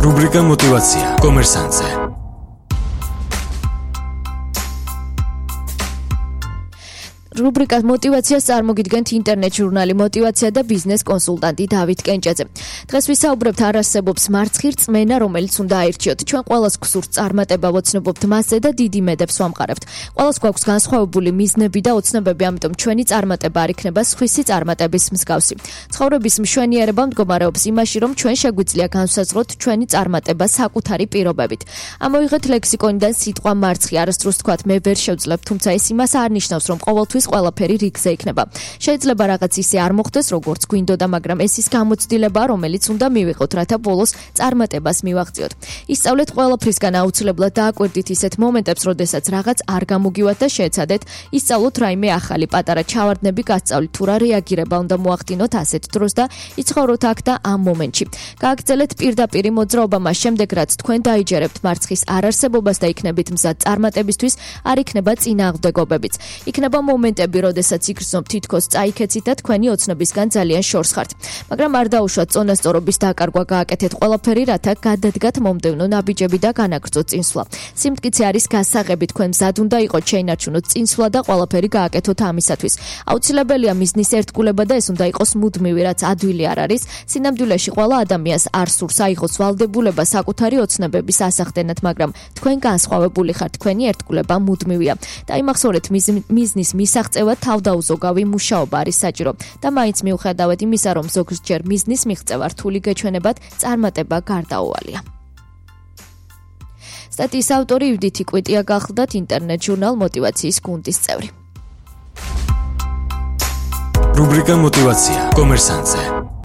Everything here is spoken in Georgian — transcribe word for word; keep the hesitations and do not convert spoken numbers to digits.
რუბრიკა მოტივაცია კომერსანტზე. რუბრიკა მოტივაციას წარმოგიდგენთ ინტერნეტ ჟურნალი მოტივაცია და ბიზნეს კონსულტანტი დავით კენჭაძე. დღეს ვისაუბრებთ არ არსებობს მარცხი რწმენა, რომელიც უნდა აირჩიოთ. ჩვენ ყველას გსურთ წარმატება, ვოცნობობთ მასზე და დიდი იმედებს ვამყარებთ. ყველას გვაქვს განსხვავებული მიზნები და ოცნებები, ამიტომ ჩვენი წარმატება არ იქნება სხვისი წარმატების მსგავსი. ცხოვრების მშვენიერება მდგომარეობს იმაში, რომ ჩვენ შეგვიძლია განვსაზღვროთ ჩვენი წარმატება საკუთარი პირობებით. ამოვიღეთ ლექსიკონიდან სიტყვა მარცხი, არასდროს თქვათ მე ვერ შევძლებ, თუმცა ეს იმას არ ნიშნავს, რომ ყოველთვის ყველაფერი რიგზე იქნება. შეიძლება რაღაც ისე არ მოხდეს, როგორც გვინდოდა, მაგრამ ეს ის გამოცდილებაა, რომელიც უნდა მივიღოთ, რათა ბოლოს წარმატებას მივაღწიოთ. ისწავლეთ ყველაფრისგან აუცილებლად დააკვირდით ისეთ მომენტებს, როდესაც რაღაც არ გამოგივათ და შეეცადეთ, ისწავლოთ რაიმე ახალი პატარა ჩავარდნები, გასწავლით თუ რა რეაგირება უნდა მოახდინოთ ასეთ დროს და იცხოვროთ აქ და ამ მომენტში. გააგრძელეთ პირდაპირი მოძრაობა, მას შემდეგ რაც თქვენ დაიჯერებთ მარცხის არარსებობას და იქნებით მზად წარმატებისთვის, არ იქნება წინააღმდეგობებიც. იქნება მომენტი როდესაც იგრძნობ თითქოს წაიქეცით და თქვენი ოცნებისგან ძალიან შორს ხართ. მაგრამ არ დაუშვათ წონასწორობის დაკარგვა, გააკეთეთ ყველაფერი, რათა გადადგათ მომდევნო ნაბიჯები და განაგრძოთ წინსვლა. სიმტკიცე არის გასაღები, თქვენ მზად უნდა იყოთ, შეინარჩუნოთ წინსვლა და ყველაფერი გააკეთოთ ამისათვის. აუცილებელია მიზნის ერთგულება და ეს უნდა იყოს მუდმივი, რაც ადვილი არ არის. სინამდვილეში ყველა ადამიანს არ სურს აიღოს ვალდებულება საკუთარი ოცნებების ასახდენად, მაგრამ თქვენ განსხვავებული ხართ, თქვენი ერთგულება მუდმივია. დაიმახსოვრეთ მიზნის მისაღწევად თავდაუზოგავი მუშაობა არის საჭირო და მაინც მიუხედავად იმისა, რომ ზოგჯერ მიზნის მიღწევა რთული გეჩვენებათ, წარმატება გარდაუვალია. სტატიის ავტორი ივდითი კვიტია გახლდათ ინტერნეტ ჟურნალ მოტივაციის გუნდის წევრი. რუბრიკა მოტივაცია კომერსანტზე.